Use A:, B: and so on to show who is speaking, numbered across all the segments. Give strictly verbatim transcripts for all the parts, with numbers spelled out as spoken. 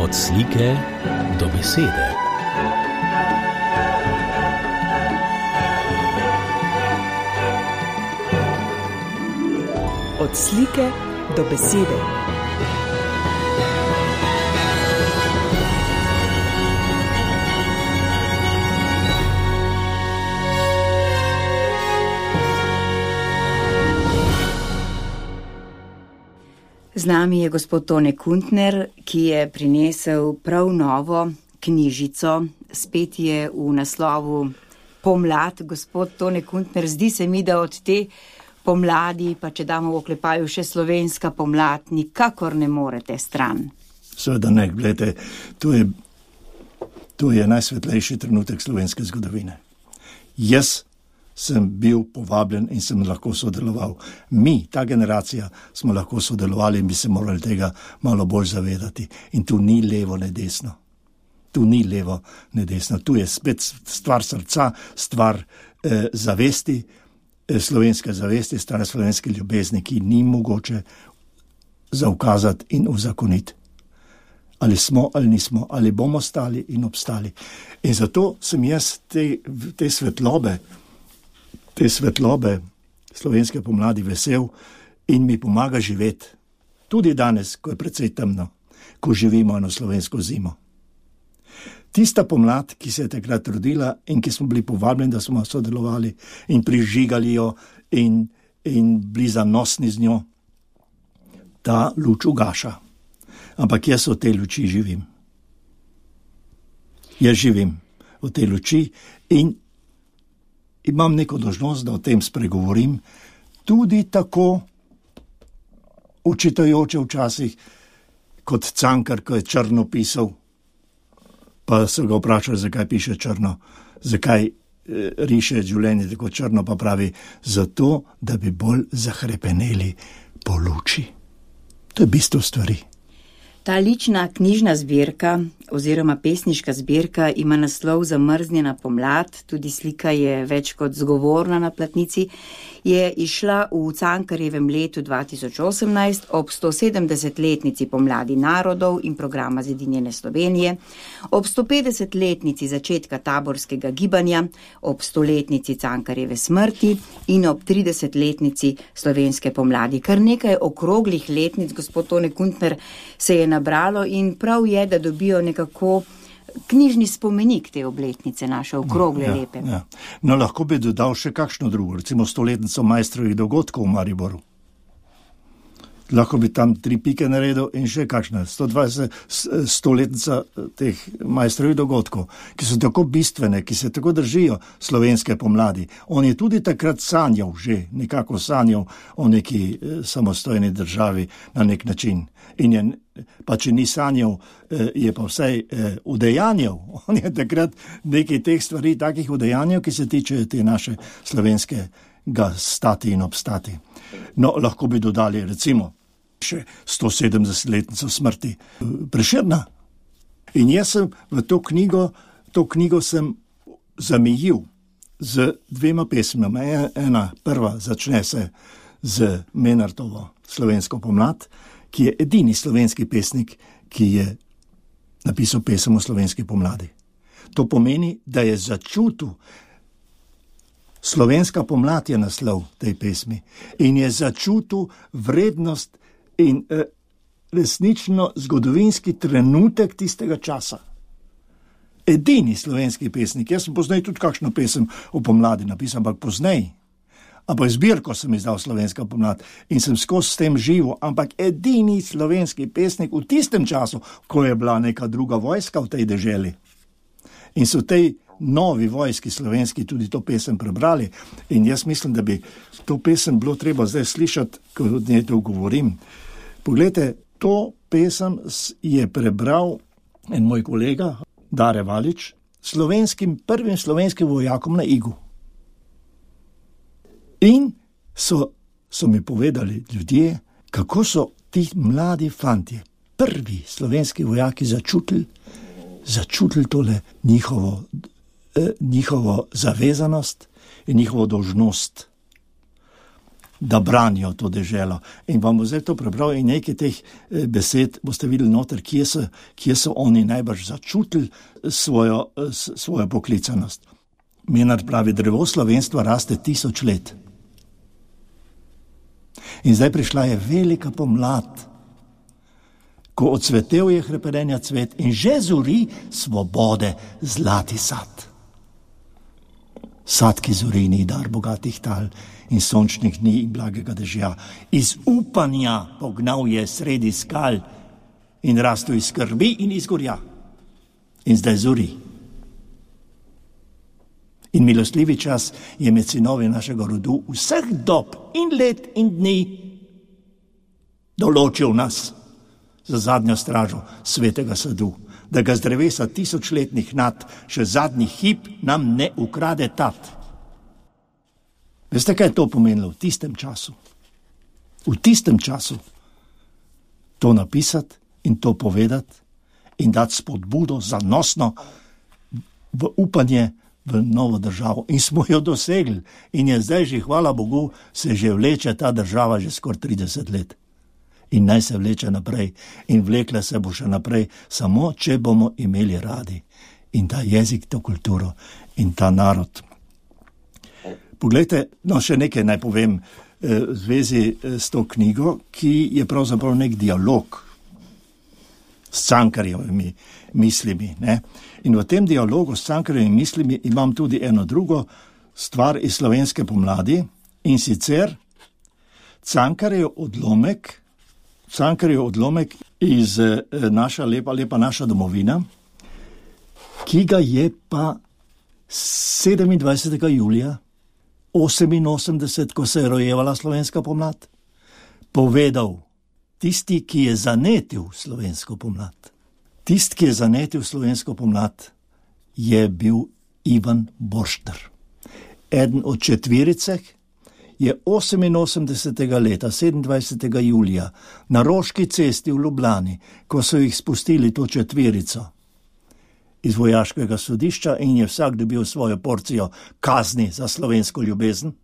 A: Od slike do besede.
B: Od slike do besede. Z nami je gospod Tone Kuntner, ki je prinesel prav novo knjižico. Spet je v naslovu Pomlad. Gospod Tone Kuntner, zdi se mi, da od te pomladi, pa če damo v oklepaju še slovenska pomlad, nikakor ne morete stran.
C: Seveda ne, gledajte, to je, to je najsvetlejši trenutek slovenske zgodovine. Jaz sem bil povabljen in sem lahko sodeloval. Mi, ta generacija, smo lahko sodelovali in bi se morali tega malo bolj zavedati. In tu ni levo, ne desno. Tu ni levo, ne desno. Tu je spet stvar srca, stvar eh, zavesti, eh, slovenske zavesti, stvar slovenske ljubezni, ki ni mogoče zaukazati in uzakoniti. Ali smo ali nismo, ali bomo stali in obstali. In zato sem jaz te, te svetlobe, te svetlobe slovenske pomladi vesel in mi pomaga živeti. Tudi danes, ko je precej temno, ko živimo eno slovensko zimo. Tista pomlad, ki se je takrat rodila in ki smo bili povabljeni, da smo sodelovali in prižigali jo in, in bili zanosni z njo, ta luč ugaša. Ampak jaz v tej luči živim. Jaz živim v tej luči in imam neko dolžnost, da o tem spregovorim, tudi tako učitajoče včasih, kot Cankar, ko je črno pisal, pa so ga vprašali, zakaj piše črno, zakaj e, riše življenje tako črno, pa pravi, zato, da bi bolj zahrepeneli po luči. To je bistvo stvari.
B: Ta lična knjižna zbirka oziroma pesniška zbirka ima naslov Zamrznjena pomlad, tudi slika je več kot zgovorna na platnici, je išla v Cankarjevem letu dva tisoč osemnajst ob sto sedemdesetletnici pomladi narodov in programa Zedinjene Slovenije, ob sto petdesetletnici začetka taborskega gibanja, ob stoletnici Cankarjeve smrti in ob tridesetletnici slovenske pomladi. Kar nekaj okroglih letnic, gospod Tone Kuntner, se je nabralo in prav je, da dobijo nekako knjižni spomenik te obletnice, naše okrogle,
C: ja,
B: lepe.
C: Ja. No, lahko bi dodal še kakšno drugo, recimo stoletnico Maestrovih dogodkov v Mariboru. Lahko bi tam tri pike naredil in še kakšna, sto dvajset stoletnica teh Maestrovih dogodkov, ki so tako bistvene, ki se tako držijo slovenske pomladi. On je tudi takrat sanjal, že nekako sanjal o neki samostojni državi na nek način. In je, pa če ni sanjal, je pa vsaj udejanjal. On je takrat nekaj teh stvari, takih udejanjal, ki se tičejo te naše slovenskega stati in obstati. No, lahko bi dodali recimo še sto sedemdesetletnico smrti Prešerna. In jaz sem v to knjigo, to knjigo sem zamejil z dvema pesmama. Ena prva začne se z Menartovo Slovensko pomlad, ki je edini slovenski pesnik, ki je napisal pesem o slovenski pomladi. To pomeni, da je začutil, slovenska pomlad je naslov tej pesmi, in je začutil vrednost in eh, resnično zgodovinski trenutek tistega časa. Edini slovenski pesnik. Jaz sem poznaj tudi kakšno pesem o pomladi napisal, ampak poznaj. Ampak zbirko sem izdal Slovenska pomlad in sem skozi s tem živel, ampak edini slovenski pesnik v tistem času, ko je bila neka druga vojska v tej deželi. In so tej novi vojski slovenski tudi to pesem prebrali. In jaz mislim, da bi to pesem bilo treba zdaj slišati, ko od njej to govorim. Poglejte, to pesem je prebral en moj kolega, Dare Valič, slovenskim, prvim slovenskim vojakom na Igu. In so, so mi povedali ljudje, kako so ti mladi fantje, prvi slovenski vojaki začutili, začutili tole njihovo, eh, njihovo zavezanost in njihovo dolžnost. da branijo to deželo. In vam bo zdaj to prebral in nekaj teh besed boste videli noter, kje so, kje so oni najbrž začutili svojo, svojo poklicanost. Menard pravi, drevo slovenstva raste tisoč let. In zdaj prišla je velika pomlad, ko odsvetel je hrepenenja cvet in že zori svobode zlati sad. Sad, ki zori, ni dar bogatih tal in sončnih dni in blagega dežja. Iz upanja pognal je sredi skal in rastel iz skrbi in iz gorja. In zdaj zori. In milostljivi čas je med sinovi našega rodu vseh dob in let in dni določil nas za zadnjo stražo svetega sadu, da ga z drevesa tisočletnih nad še zadnji hip nam ne ukrade tat. Veste, kaj je to pomenilo v tistem času? V tistem času to napisati in to povedati in dati spodbudo zanosno v upanje v novo državo. In smo jo dosegli. In je zdaj že, hvala Bogu, se že vleče ta država že skoraj trideset let. In naj se vleče naprej. In vlekla se bo še naprej, samo če bomo imeli radi. In ta jezik, to kulturo in ta narod. Poglejte, no še nekaj naj povem v zvezi s to knjigo, ki je pravzaprav nek dialog s Cankarjevimi mislimi. Ne? In v tem dialogu s Cankarjevimi mislimi imam tudi eno drugo stvar iz slovenske pomladi, in sicer Cankarjev odlomek, Cankarjev odlomek iz naša lepa, lepa naša domovina, ki ga je pa sedemindvajsetega julija oseminosemdeset, ko se je rojevala slovenska pomlad, povedal tisti, ki je zanetil slovensko pomlad. Tisti, ki je zanetil slovensko pomlad, je bil Ivan Borštner. Eden od četverice je oseminosemdesetega leta, sedemindvajsetega julija, na Roški cesti v Ljubljani, ko so jih spustili to četverico iz vojaškega sodišča in je vsak dobil svojo porcijo kazni za slovensko ljubezen,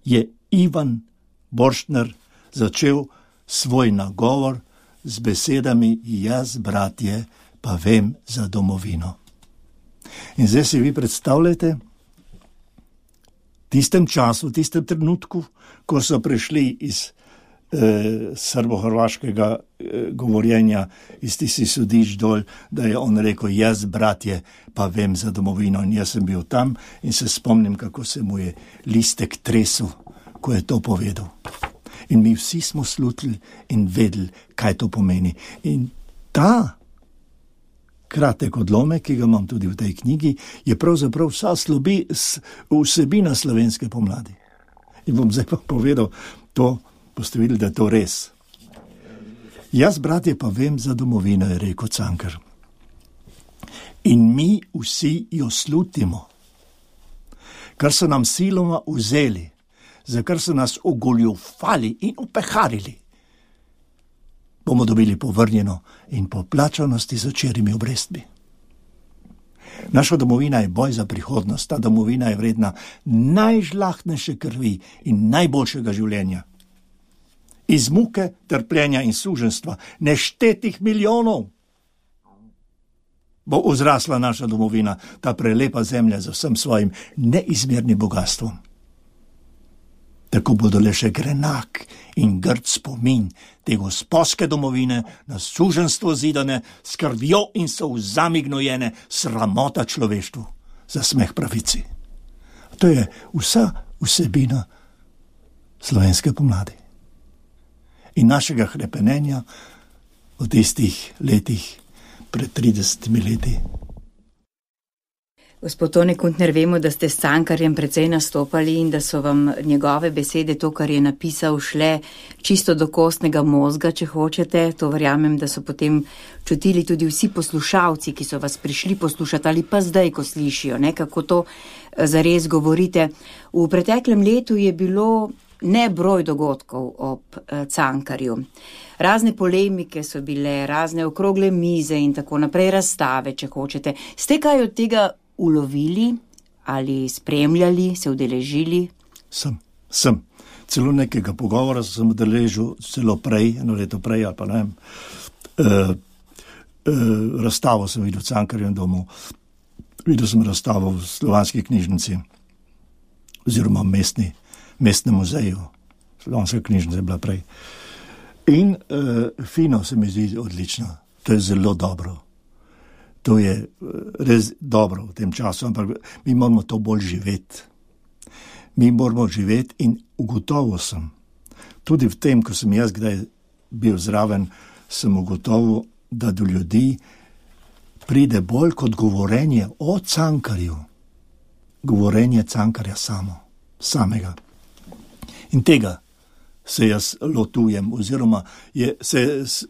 C: je Ivan Borštner začel svoj nagovor z besedami: jaz, bratje, pa vem za domovino. In zdaj si vi predstavljate, v tistem času, v tistem trenutku, ko so prišli iz eh, srbo-hrvaškega eh, govorjenja, iz tistih sodišč dol, da je on rekel: jaz, bratje, pa vem za domovino. In jaz sem bil tam in se spomnim, kako se mu je listek tresel, ko je to povedal. In mi vsi smo slutili in vedeli, kaj to pomeni. In ta kratek odlomek, ki ga imam tudi v tej knjigi, je pravzaprav vsa slobi, vsebina slovenske pomladi. In bom zdaj pa povedal to, boste videli, da je to res. Jaz, bratje, pa vem za domovino, je rekel Cankar. In mi vsi jo slutimo, kar so nam siloma vzeli, za kar so nas ogoljufali in upeharili, bomo dobili povrnjeno in poplačano s tisočerimi obrestmi. Naša domovina je boj za prihodnost, ta domovina je vredna najžlahtnejše krvi in najboljšega življenja. Iz muke, trpljenja in suženstva, neštetih milijonov, bo vzrasla naša domovina, ta prelepa zemlja z vsem svojim neizmernim bogastvom. Tako bodo le še grenak in grd spomin te gosposke domovine na suženstvo zidane, s krvjo in solzami gnojene, sramota človeštvu, za smeh pravici. To je vsa vsebina slovenske pomladi in našega hrepenenja v tistih letih pred tridesetimi leti.
B: Gospod Tone Kuntner, vemo, da ste s Cankarjem precej nastopali in da so vam njegove besede, to, kar je napisal, šle čisto do kostnega mozga, če hočete. To verjamem, da so potem čutili tudi vsi poslušalci, ki so vas prišli poslušati ali pa zdaj, ko slišijo, ne, kako to zares govorite. V preteklem letu je bilo nebroj dogodkov ob Cankarju. Razne polemike so bile, razne okrogle mize in tako naprej, razstave, če hočete. Ste kaj od tega ulovili ali spremljali, se udeležili?
C: Sem, Sem. Celo nekega pogovora sem udeležil, celo prej, eno leto prej, ali pa ne vem, uh, uh, razstavo sem videl v Cankarjevem domu, videl sem razstavo v Slovanski knjižnici, oziroma mestni, mestnem muzeju. Slovanska knjižnica je bila prej. In uh, fino se mi zdi odlično. To je zelo dobro. To je res dobro v tem času, ampak mi moramo to bolj živeti. Mi moramo živeti in ugotovil sem, tudi v tem, ko sem jaz kdaj bil zraven, sem ugotovil, da do ljudi pride bolj kot govorenje o Cankarju. Govorenje Cankarja samo, samega. In tega se jaz lotujem, oziroma je, se s,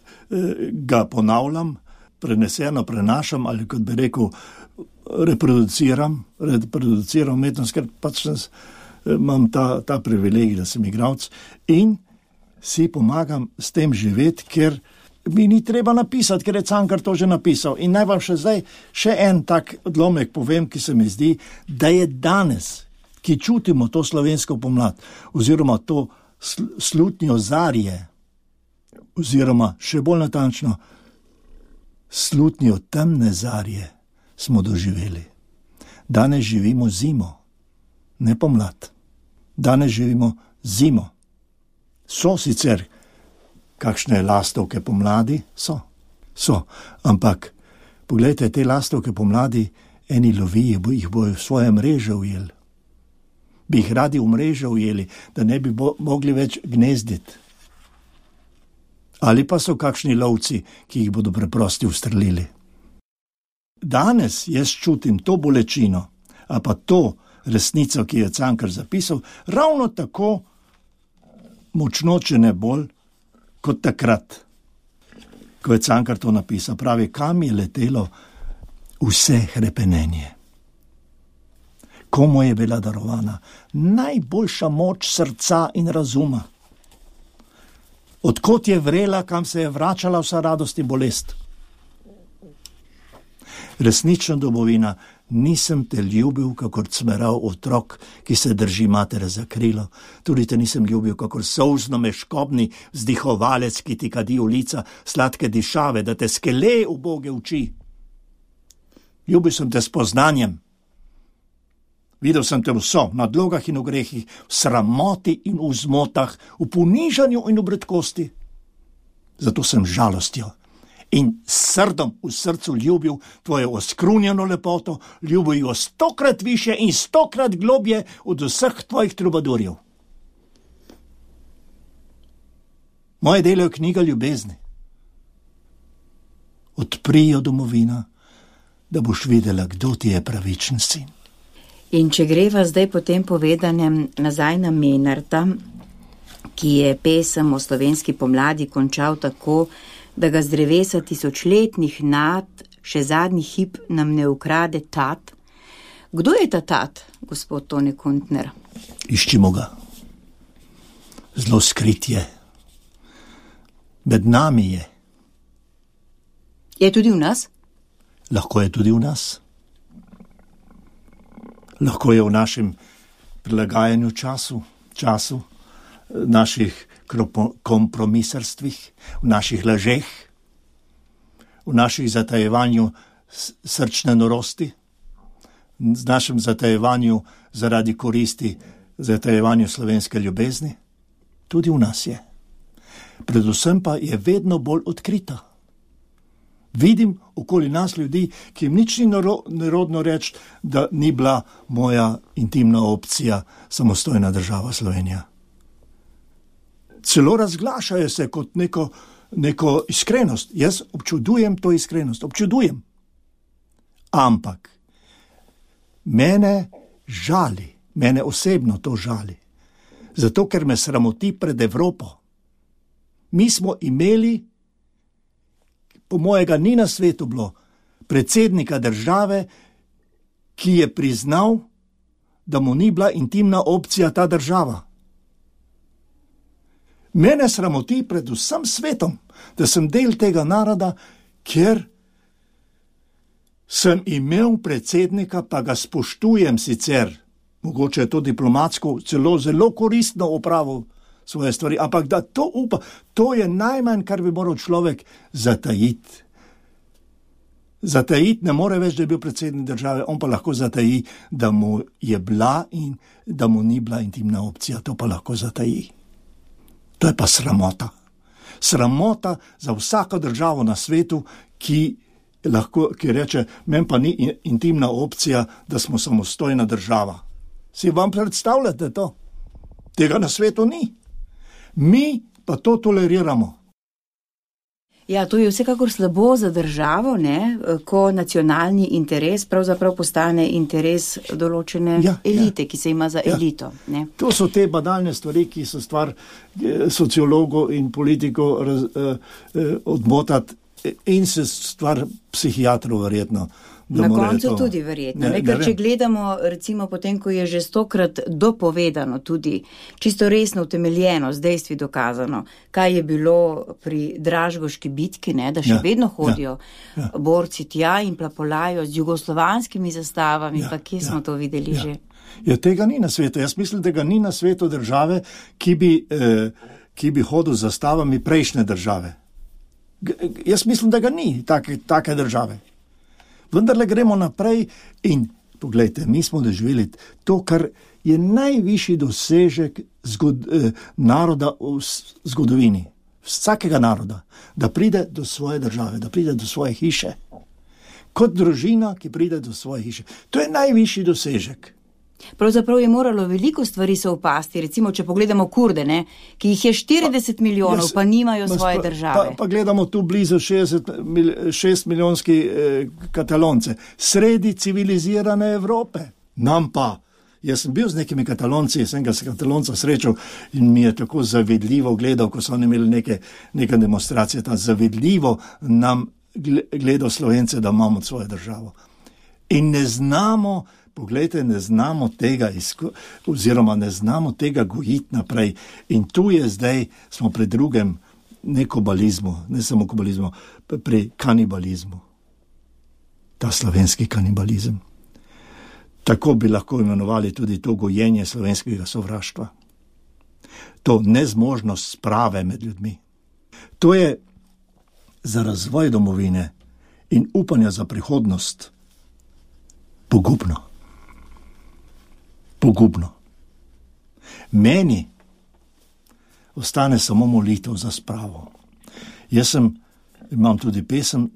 C: ga ponavljam, preneseno prenašam, ali kot bi rekel, reproduciram, reproduciram umetnost, ker pač sem, imam ta, ta privilegij, da sem igralec in si pomagam s tem živeti, ker mi ni treba napisati, ker je Cankar to že napisal. In naj vam še zdaj še en tak odlomek povem, ki se mi zdi, da je danes, ki čutimo to slovensko pomlad, oziroma to sl- slutnjo zarje, oziroma še bolj natančno, slutnjo temne zarje smo doživeli. Danes živimo zimo, ne pomlad. Danes živimo zimo. So sicer kakšne lastovke pomladi? So. So. Ampak, poglejte, te lastovke pomladi, eni lovijo, jih bojo v svoje mreže ujeli. Bi jih radi v mreže ujeli, da ne bi bo, mogli več gnezditi. Ali pa so kakšni lovci, ki jih bodo preprosti ustrelili. Danes jaz čutim to bolečino, a pa to resnico, ki je Cankar zapisal, ravno tako močno, če ne bolj, kot takrat, ko je Cankar to napisal. Pravi, kam je letelo vse hrepenenje. Komu je bila darovana najboljša moč srca in razuma. Odkot je vrela, kam se je vračala vsa radost in bolest. Resnična domovina, nisem te ljubil, kakor cmerav otrok, ki se drži matere za krilo. Tudi te nisem ljubil, kakor solzno meškobni vzdihovalec, ki ti kadi v lica sladke dišave, da te skele uboge oči. Ljubil sem te s poznanjem. Videl sem te vso, na dlogah in v grehih, v sramoti in v zmotah, v ponižanju in v bredkosti. Zato sem žalostjo in srdom v srcu ljubil tvojo oskrunjeno lepoto, ljubil jo stokrat više in stokrat globje od vseh tvojih trubadurjev. Moje delo je knjiga ljubezni. Odpri jo, domovina, da boš videla, kdo ti je pravičen sin.
B: In če greva zdaj po tem povedanem nazaj na Menarta, ki je pesem o slovenski pomladi končal tako, da ga z drevesa tisočletnih nad še zadnji hip nam ne ukrade tat. Kdo je ta tat, gospod Tone Kuntner?
C: Iščimo ga. Zelo skrit je. Med nami je.
B: Je tudi v nas?
C: Lahko je tudi v nas. Lahko je v našem prilagajanju času, času, naših kompromisarstvih, v naših lažeh, v naših zatajevanju srčne norosti, v našem zatajevanju zaradi koristi, zatajevanju slovenske ljubezni. Tudi v nas je. Predvsem pa je vedno bolj odkrita. Vidim okoli nas ljudi, ki jim nič ni nerodno reči, da ni bila moja intimna opcija samostojna država Slovenija. Celo razglašajo se kot neko, neko iskrenost. Jaz občudujem to iskrenost, občudujem. Ampak mene žali, mene osebno to žali, zato ker me sramoti pred Evropo. Mi smo imeli, po mojega ni na svetu bilo, predsednika države, ki je priznal, da mu ni bila intimna opcija ta država. Mene sramoti pred vsem svetom, da sem del tega naroda, ker sem imel predsednika, pa ga spoštujem sicer, mogoče je to diplomatsko celo zelo koristno opravil svoje stvari, ampak da to upa, to je najmanj, kar bi moral človek zatajiti. Zatajiti ne more več, da je bil predsednik države, on pa lahko zataji, da mu je bila in da mu ni bila intimna opcija, to pa lahko zataji. To je pa sramota. Sramota za vsako državo na svetu, ki lahko, ki reče, meni pa ni intimna opcija, da smo samostojna država. Si vam predstavljate to? Tega na svetu ni. Mi pa to toleriramo.
B: Ja, to je vsekakor slabo za državo, ne? Ko nacionalni interes pravzaprav postane interes določene ja, elite, ja. Ki se ima za ja. elito. Ne?
C: To so te banalne stvari, ki so stvar sociologov in politikov raz, eh, eh, odmotati in se stvar psihiatrov verjetno.
B: Na koncu to... tudi verjetno, ne, ne, ker če gledamo recimo potem, ko je že stokrat dopovedano tudi, čisto resno utemeljeno, z dejstvi dokazano, kaj je bilo pri Dražgoški bitki, ne, da še ja, vedno hodijo ja, ja. borci tja in plapolajo z jugoslovanskimi zastavami, ja, pa kje ja, smo to videli ja. že?
C: Ja, tega ni na svetu. Jaz mislim, da ga ni na svetu države, ki bi, eh, ki bi hodil z zastavami prejšnje države. G- jaz mislim, da ga ni take, take države. Vendarle gremo naprej in poglejte, mi smo doživeli to, kar je najvišji dosežek zgod, eh, naroda v zgodovini, vsakega naroda, da pride do svoje države, da pride do svoje hiše. Kot družina, ki pride do svoje hiše. To je najvišji dosežek.
B: Pravzaprav je moralo veliko stvari se upasti, recimo, če pogledamo Kurde, ne, ki jih je štirideset pa, milijonov, jaz, pa nimajo svoje pa, države. Pa, pa gledamo tu blizu šestdeset, šest milijonski eh, Katalonce, sredi civilizirane Evrope. Nam pa, jaz sem bil z nekimi Katalonci, sem ga s Katalonca srečal in mi je tako zavedljivo gledal, ko so oni imeli neke, neke demonstracije, tam zavedljivo nam gledal Slovence, da imamo svojo državo. In ne znamo, poglejte, ne znamo tega, izko, oziroma ne znamo tega gojiti naprej. In tu je zdaj, smo pri drugem, ne kobalizmu, ne samo kobalizmu, pri kanibalizmu. Ta slovenski kanibalizem. Tako bi lahko imenovali tudi to gojenje slovenskega sovraštva. To nezmožnost sprave med ljudmi. To je za razvoj domovine in upanja za prihodnost pogubno. Pogubno. Meni ostane samo molitev za spravo. Jaz sem, imam tudi pesem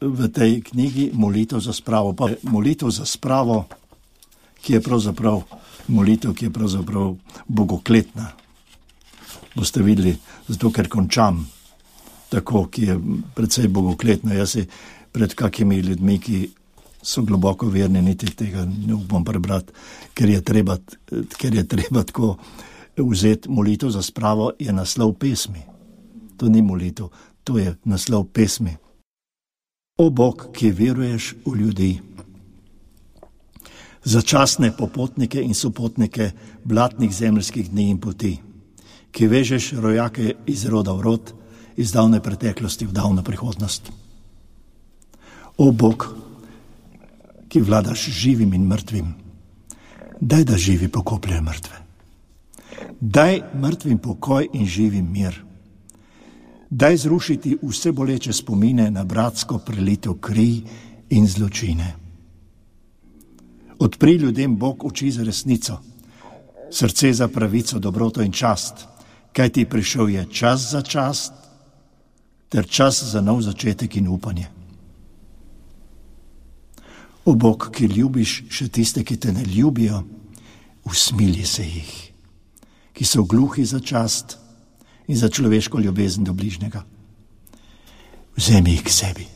B: v tej knjigi Molitev za spravo. Pa molitev za spravo, ki je pravzaprav molitev, ki je pravzaprav bogokletna. Boste videli, zato ker končam tako, ki je precej bogokletna. Jaz si pred kakimi ljudmi, ki so globoko verni, niti tega ne upam prebrati, ker je treba, ker je treba tako vzeti molitev za spravo, je naslov pesmi. To ni molitev, to je naslov pesmi. O Bog, ki veruješ v ljudi, začasne popotnike in sopotnike blatnih zemeljskih dni in poti, ki vežeš rojake iz roda v rod, iz davne preteklosti v davno prihodnost. O Bog, ki vladaš živim in mrtvim, daj, da živi pokopljajo mrtve. Daj mrtvim pokoj in živim mir. Daj zrušiti vse boleče spomine na bratsko prelitev kri in zločine. Odpri ljudem Bog oči za resnico, srce za pravico, dobroto in čast, kaj ti prišel je čas za čast, ter čas za nov začetek in upanje. O Bog, ki ljubiš še tiste, ki te ne ljubijo, usmilji se jih, ki so gluhi za čast in za človeško ljubezen do bližnjega. Vzemi jih k sebi,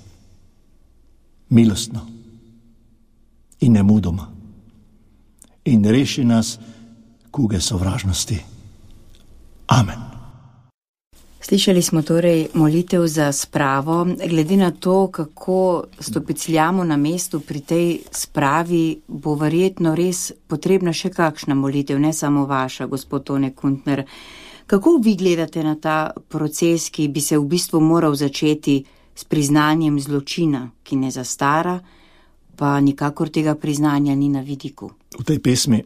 B: milostno in nemudoma, in reši nas kuge sovražnosti. Amen. Slišali smo torej molitev za spravo. Glede na to, kako stopicljamo na mestu pri tej spravi, bo verjetno res potrebna še kakšna molitev, ne samo vaša, gospod Tone Kuntner. Kako vi gledate na ta proces, ki bi se v bistvu moral začeti s priznanjem zločina, ki ne zastara, pa nikakor tega priznanja ni na vidiku?
C: V tej pesmi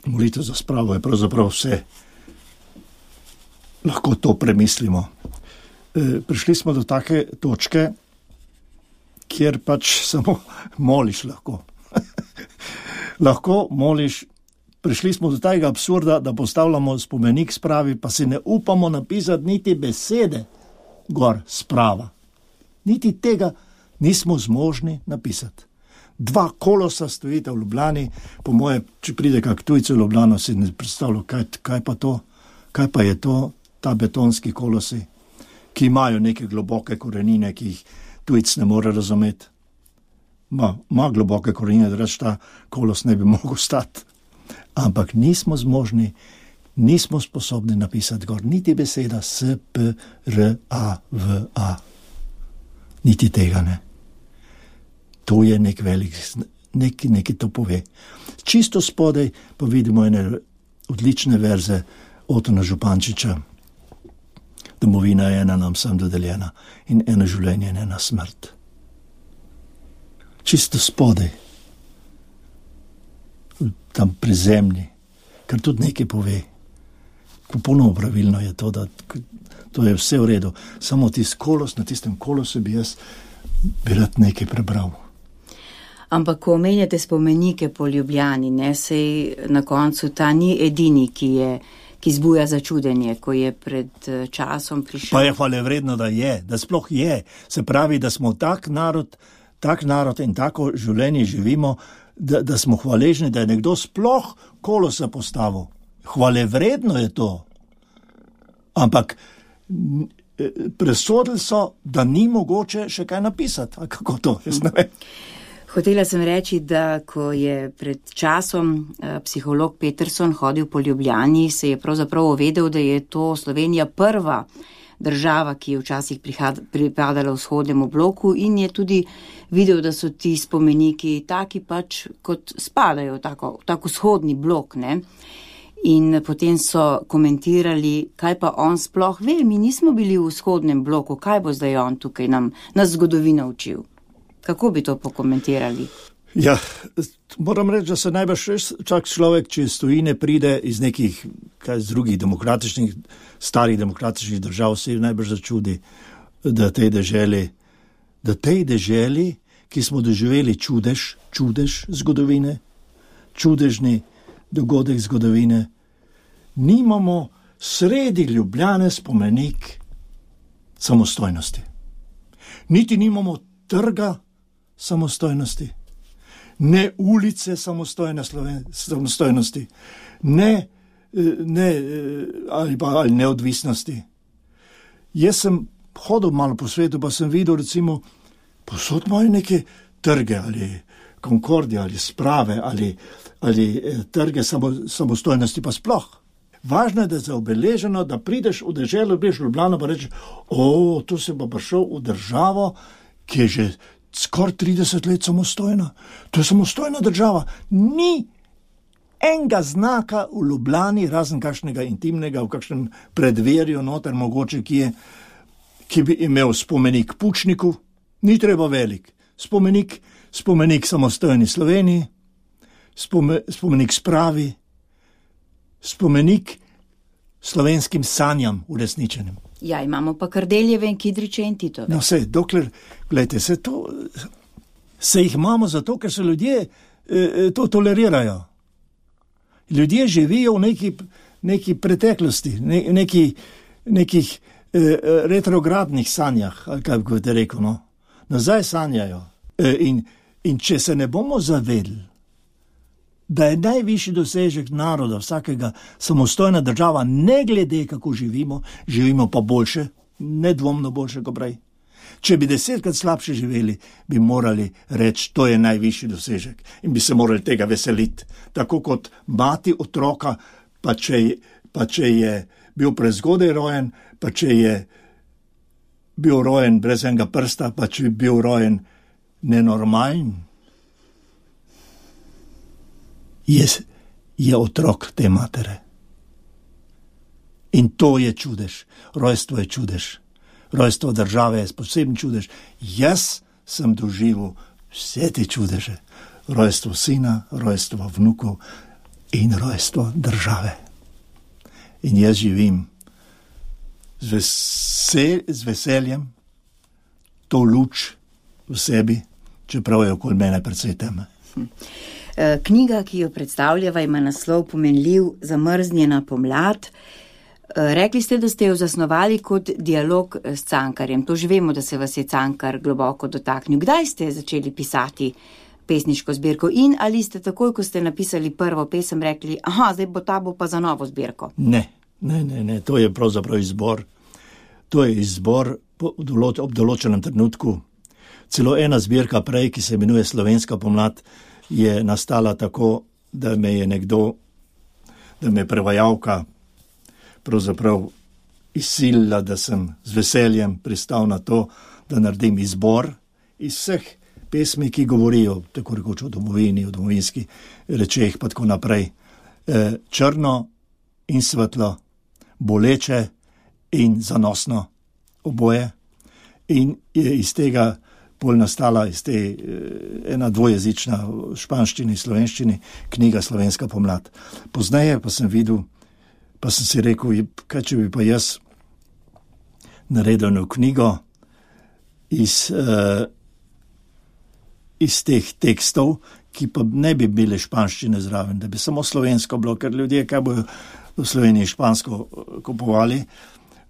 C: molitev za spravo je pravzaprav vse. Lahko to premislimo. E, prišli smo do take točke, kjer pač samo moliš lahko. Lahko moliš. Prišli smo do tega absurda, da postavljamo spomenik spravi, pa si ne upamo napisati niti besede gor sprava. Niti tega nismo zmožni napisati. Dva kolosa stojita v Ljubljani, po moje, če pride kak tujce v Ljubljano, si ne predstavlja, kaj, kaj pa to, kaj pa je to, ta betonski kolosi, ki imajo neke globoke korenine, ki jih tujc ne more razumeti. Ma, ma globoke korenine, da reč ta kolos ne bi mogel stati. Ampak nismo zmožni, nismo sposobni napisati gor niti beseda S, P, R, A, V, A. Niti tega ne. To je nek velik, neki, neki to pove. Čisto spodaj pa vidimo ene odlične verze Otona Župančiča. Domovina je ena nam sem dodeljena in eno življenje je ena smrt. Čisto spodaj. Tam pri zemlji, kar tudi nekaj pove. Popolnoma pravilno je to, da to je vse v redu. Samo tisti kolos, na tistem kolosu bi jaz bi rad nekaj prebral.
B: Ampak, ko omenjate spomenike po Ljubljani, ne, sej na koncu ta ni edini, ki je, ki zbuja začudenje, ko je pred časom prišel.
C: Pa je hvalevredno, da je, da sploh je. Se pravi, da smo tak narod, tak narod in tako življenje živimo, Da, da smo hvaležni, da je nekdo sploh kolosa postavil. Hvalevredno je to. Ampak presodili so, da ni mogoče še kaj napisati. A kako to? Jaz ne vem.
B: Hotela sem reči, da ko je pred časom psiholog Peterson hodil po Ljubljani, se je pravzaprav uvedel, da je to Slovenija prva država, ki je včasih pripadala vzhodnemu bloku in je tudi videl, da so ti spomeniki taki pač, kot spadajo v tako, tako vzhodni blok, ne. In potem so komentirali, kaj pa on sploh ve, mi nismo bili v vzhodnem bloku, kaj bo zdaj on tukaj nam, nas zgodovina učil. Kako bi to pokomentirali?
C: Ja, moram reči, da se najbrž čak človek, če iz tujine pride iz nekih, kaj z drugih demokratičnih, starih demokratičnih držav, se najbrž začudi, da tej deželi, da tej deželi, ki smo doživeli čudež, čudež zgodovine, čudežni dogodek zgodovine, nimamo sredi Ljubljane spomenik samostojnosti. Niti nimamo trga samostojnosti. Ne ulice samostojne Sloven- samostojnosti, ne, ne, ali pa ali neodvisnosti. Jaz sem hodil malo po svetu, pa sem videl, recimo, posod imajo neke trge, ali Konkordije, ali sprave, ali, ali trge samo, samostojnosti, pa sploh. Važno je, da je zaobeleženo, da prideš v deželo, prideš v Ljubljano, pa rečeš, o, tu se bo prišel v državo, ki je že skoraj trideset let samostojna. To je samostojna država. Ni enega znaka v Ljubljani, razen kakšnega intimnega, v kakšnem predverju noter, mogoče, ki je, ki bi imel spomenik Pučniku. Ni treba velik. Spomenik, spomenik samostojni Sloveniji, spome, spomenik spravi, spomenik slovenskim sanjam uresničenim.
B: Ja, imamo pa Kardeljeve in Kidriče in Titove.
C: No, vse, dokler, gledajte, se to, se jih imamo zato, ker se ljudje eh, to tolerirajo. Ljudje živijo v neki, neki preteklosti, ne, neki, nekih eh, retrogradnih sanjah, ali kaj bi te rekel, no. Nazaj sanjajo. Eh, in, in če se ne bomo zavedli, da je najvišji dosežek naroda, vsakega samostojna država, ne glede kako živimo, živimo pa boljše, nedvomno boljše kot prej. Če bi desetkrat slabše živeli, bi morali reči, to je najvišji dosežek in bi se morali tega veseliti. Tako kot mati otroka, pa če, pa če je bil prezgodaj rojen, pa če je bil rojen brez enega prsta, pa če je bil rojen nenormalen, Je, je otrok te matere. In to je čudež. Rojstvo je čudež. Rojstvo države je poseben čudež. Jaz sem doživel vse te čudeže. Rojstvo sina, rojstvo vnukov in rojstvo države. In jaz živim z, vesel, z veseljem to luč v sebi, čeprav je okoli mene precej teme.
B: Knjiga, ki jo predstavljava, ima naslov pomenljiv Zamrznjena pomlad. Rekli ste, da ste jo zasnovali kot dialog s Cankarjem. To že vemo, da se vas je Cankar globoko dotaknil. Kdaj ste začeli pisati pesniško zbirko in ali ste takoj, ko ste napisali prvo pesem, rekli, aha, zdaj bo ta bo pa za novo zbirko?
C: Ne, ne, ne, ne. To je pravzaprav izbor. To je izbor ob določenem trenutku. Celo ena zbirka prej, ki se imenuje Slovenska pomlad, je nastala tako, da me je nekdo, da me je prevajalka pravzaprav izsilila, da sem z veseljem pristal na to, da naredim izbor iz vseh pesmi, ki govorijo tako rekoč o domovini, o domovinski rečeh, pa tako naprej. E, črno in svetlo, boleče in zanosno, oboje. In je iz tega pol nastala iz te ena dvojezična v španščini, slovenščini, knjiga Slovenska pomlad. Pozneje pa sem videl, pa sem si rekel, kaj če bi pa jaz naredil eno knjigo iz, uh, iz teh tekstov, ki pa ne bi bile španščine zraven, da bi samo slovensko bilo, ker ljudje, kaj bojo v Sloveniji špansko kupovali,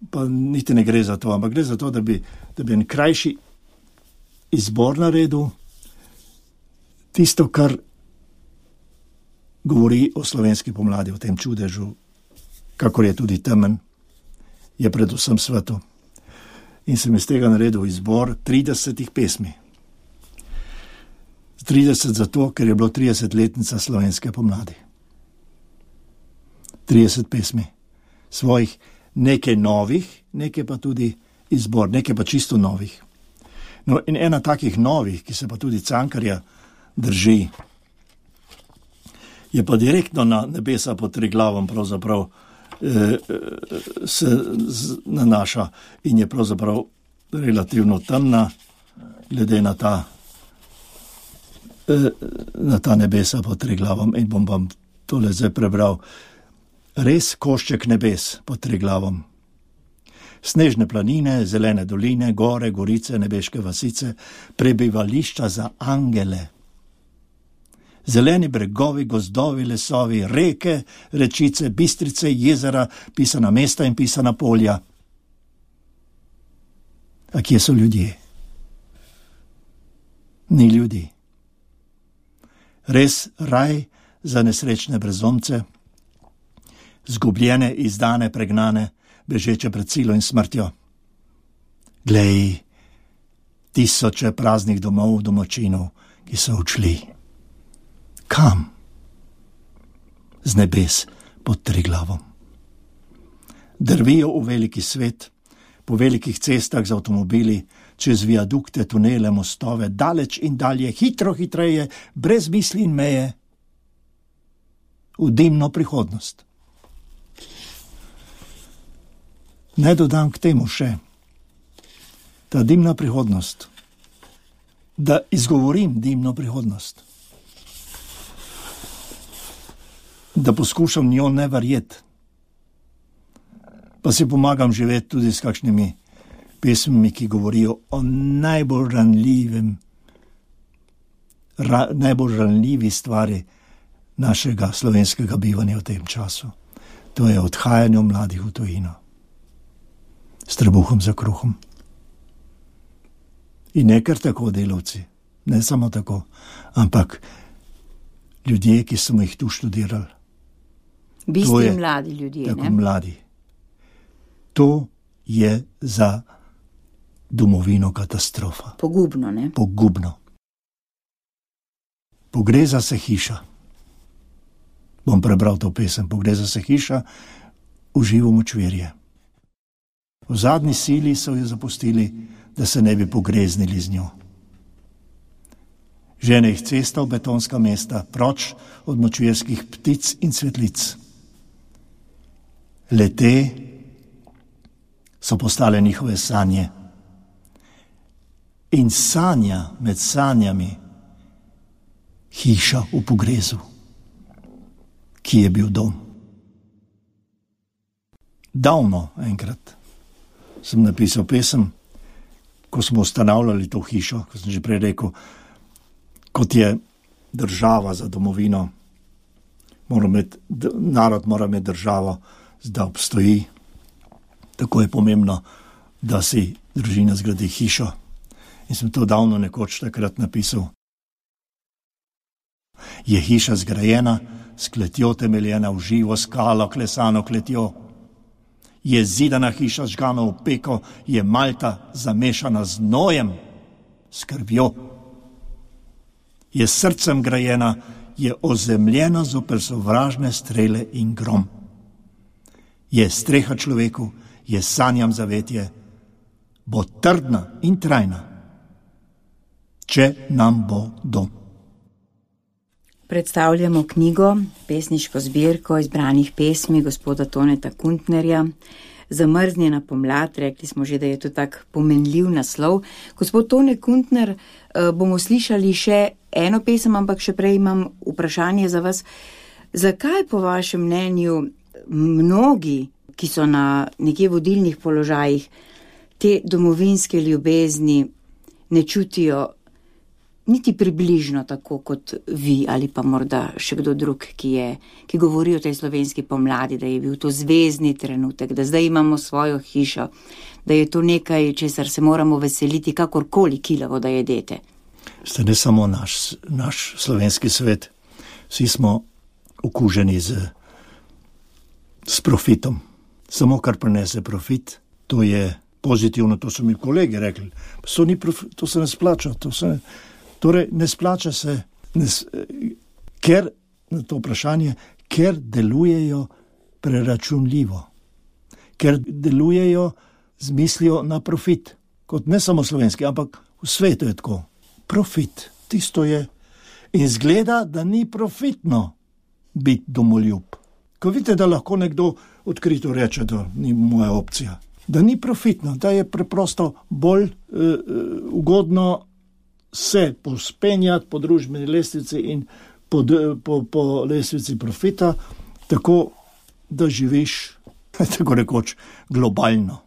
C: pa niti ne gre za to, ampak gre za to, da bi, da bi en krajši izbor naredil, tisto, kar govori o slovenski pomladi, o tem čudežu, kakor je tudi temen, je predvsem svetu. In sem iz tega naredil izbor tridesetih pesmi. trideset zato, ker je bilo tridesetletnica slovenske pomladi. trideset pesmi. Svojih, nekaj novih, nekaj pa tudi izbor, nekaj pa čisto novih. No, in ena takih novih, ki se pa tudi Cankarja drži, je pa direktno na nebesa pod Triglavom pravzaprav eh, se nanaša in je pravzaprav relativno temna, glede na ta, eh, na ta nebesa pod Triglavom. In bom vam tole zdaj prebral. Res košček nebes pod Triglavom. Snežne planine, zelene doline, gore, gorice, nebeške vasice, prebivališča za angele. Zeleni bregovi, gozdovi, lesovi, reke, rečice, bistrice, jezera, pisana mesta in pisana polja. A kje so ljudje? Ni ljudi. Res raj za nesrečne brezdomce, zgubljene, izdane, pregnane, bežeče pred silo in smrtjo. Glej, tisoče praznih domov, domačinov, ki so odšli. Kam? Z nebes pod Triglavom. Drvijo v veliki svet, po velikih cestah z avtomobili, čez viadukte, tunele, mostove, daleč in dalje, hitro, hitreje, brez misli in meje, v dimno prihodnost. Ne dodam k temu še ta dimna prihodnost, da izgovorim dimno prihodnost, da poskušam njo ne verjeti, pa si pomagam živeti tudi s kakšnimi pesmimi, ki govorijo o najbolj ranljivem, ra, najbolj ranljivi stvari našega slovenskega bivanja v tem času. To je odhajanje mladih v tujino. S trebuhom za kruhom. In ne kar tako delavci, ne samo tako, ampak ljudje, ki smo jih tu študirali.
B: Bistvi mladi ljudje,
C: tako
B: ne?
C: Mladi. To je za domovino katastrofa.
B: Pogubno, ne?
C: Pogubno. Pogreza se hiša. Bom prebral to pesem. Pogreza se hiša v živo močvirje. V zadnji sili so jo zapustili, da se ne bi pogreznili z njo. Žene jih cesta v betonska mesta, proč od močvirskih ptic in cvetlic. Le-te so postale njihove sanje. In sanja med sanjami hiša v pogrezu, ki je bil dom. Davno enkrat sem napisal pesem, ko smo ustanavljali to hišo, ko sem že prej rekel, kot je država za domovino, mora imeti, narod mora imeti državo, da obstoji. Tako je pomembno, da si družina zgradi hišo. In sem to davno nekoč takrat napisal. Je hiša zgrajena, s kletjo temeljena v živo skalo, klesano kletjo. Je zidana hiša žgana v peko, je malta zamešana z nojem, s krvjo. Je srcem grajena, je ozemljena zoper sovražne strele in grom. Je streha človeku, je sanjam zavetje, bo trdna in trajna, če nam bo dom.
B: Predstavljamo knjigo, pesniško zbirko izbranih pesmi gospoda Toneta Kuntnerja, Zamrznjena pomlad, rekli smo že, da je to tak pomenljiv naslov. Gospod Tone Kuntner, bomo slišali še eno pesem, ampak še prej imam vprašanje za vas. Zakaj po vašem mnenju mnogi, ki so na nekje vodilnih položajih, te domovinske ljubezni ne čutijo niti približno tako kot vi ali pa morda še kdo drug, ki, je, ki govori o tej slovenski pomladi, da je bil to zvezni trenutek, da zdaj imamo svojo hišo, da je to nekaj, česar se moramo veseliti, kakorkoli kilavo, da jedete?
C: Ste ne samo naš, naš slovenski svet, vsi smo okuženi z, s profitom. Samo kar prinese profit, to je pozitivno, to so mi kolegi rekli. To, ni profi, to se ne splača, to se ne... Torej, ne splača se, ne, ker, na to vprašanje, ker delujejo preračunljivo, ker delujejo z mislijo na profit, kot ne samo slovenski, ampak v svetu je tako. Profit, tisto je. In zgleda, da ni profitno biti domoljub. Ko vidite, da lahko nekdo odkrito reče, da ni moja opcija, da ni profitno, da je preprosto bolj uh, ugodno se pospenjati po družbeni lestvici in po, po, po lestvici profita, tako da živiš, tako rekoč, globalno,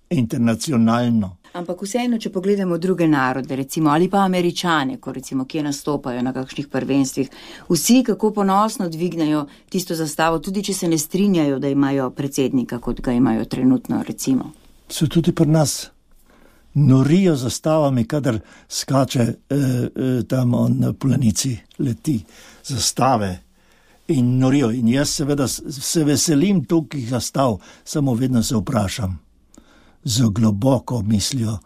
C: internacionalno.
B: Ampak vseeno, če pogledamo druge narode, recimo, ali pa Američane, ko recimo, kje nastopajo na kakšnih prvenstvih, vsi kako ponosno dvignejo tisto zastavo, tudi če se ne strinjajo, da imajo predsednika, kot ga imajo trenutno, recimo.
C: So tudi pri nas norijo zastavami, kadar skače eh, eh, tam on na planici, leti zastave in norijo. In jaz seveda se veselim tukaj zastav, samo vedno se vprašam, z globoko mislijo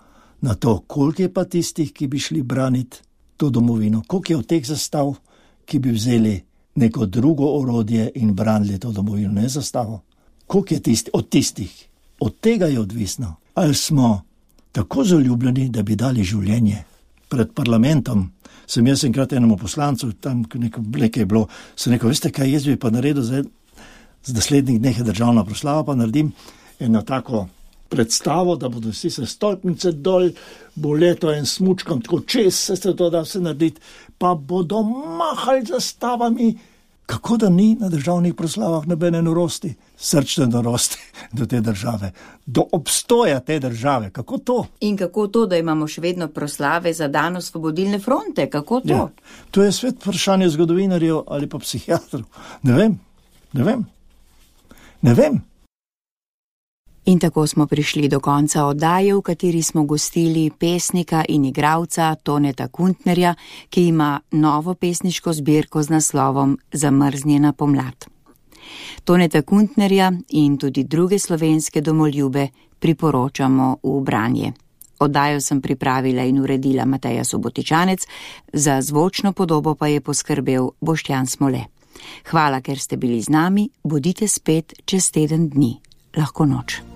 C: na to, koliko je pa tistih, ki bi šli braniti to domovino, koliko je od teh zastav, ki bi vzeli neko drugo orodje in branili to domovino, ne zastavo. Koliko je tisti, od tistih? Od tega je odvisno. Ali smo tako zaljubljeni, da bi dali življenje. Pred parlamentom sem jaz enkrat enemu poslancu, tam nekaj je bilo, sem rekel, veste kaj, jaz bi pa naredil zdaj, z naslednjih dneh je državna proslava, pa naredim eno tako predstavo, da bodo vsi se stolpnice dol, bo leto en smučkam, tako čez se se to da vse narediti, pa bodo mahali zastavami, kako da ni na državnih proslavah nobene norosti, srčne norosti do te države, do obstoja te države, kako to?
B: In kako to, da imamo še vedno proslave za dan Osvobodilne fronte, kako to?
C: Ja, to je svet vprašanje zgodovinarjev ali pa psihiatrov, ne vem, ne vem, ne vem.
B: In tako smo prišli do konca oddaje, v kateri smo gostili pesnika in igralca Toneta Kuntnerja, ki ima novo pesniško zbirko z naslovom Zamrznjena pomlad. Toneta Kuntnerja in tudi druge slovenske domoljube priporočamo v branje. Oddajo sem pripravila in uredila Mateja Subotičanec, za zvočno podobo pa je poskrbel Boštjan Smole. Hvala, ker ste bili z nami, bodite spet čez teden dni. Lahko noč.